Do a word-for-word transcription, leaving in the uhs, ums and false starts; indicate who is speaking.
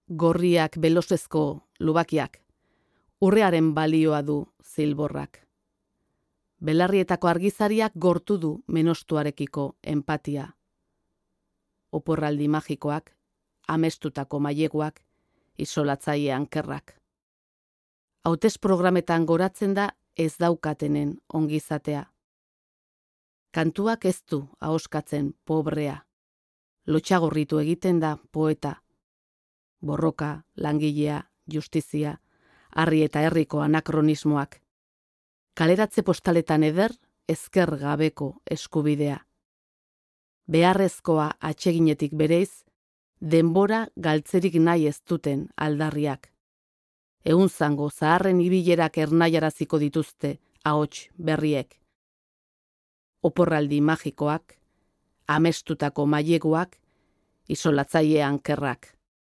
Speaker 1: gorriak belosezko lubakiak, urrearen balioa du zilborrak. Belarrietako argizariak gortu du menostuarekiko empatia. Oporraldi magikoak, amestutako maileguak, isolatzaile ankerrak. Hautez programetan goratzen da ez daukatenen ongizatea. Kantuak ez du ahoskatzen pobrea. Lotxagorritu egiten da poeta. Borroka, langilea, justizia, harri eta herriko anakronismoak. Kaleratze postaletan eder, ezker gabeko eskubidea. Beharrezkoa atseginetik bereiz, denbora galtzerik nahi ez duten aldarriak. Egun zango zaharren ibilerak ernaiaraziko dituzte ahots berriek. Oporraldi magikoak, amestutako maileguak, isolatzaile ankerrak.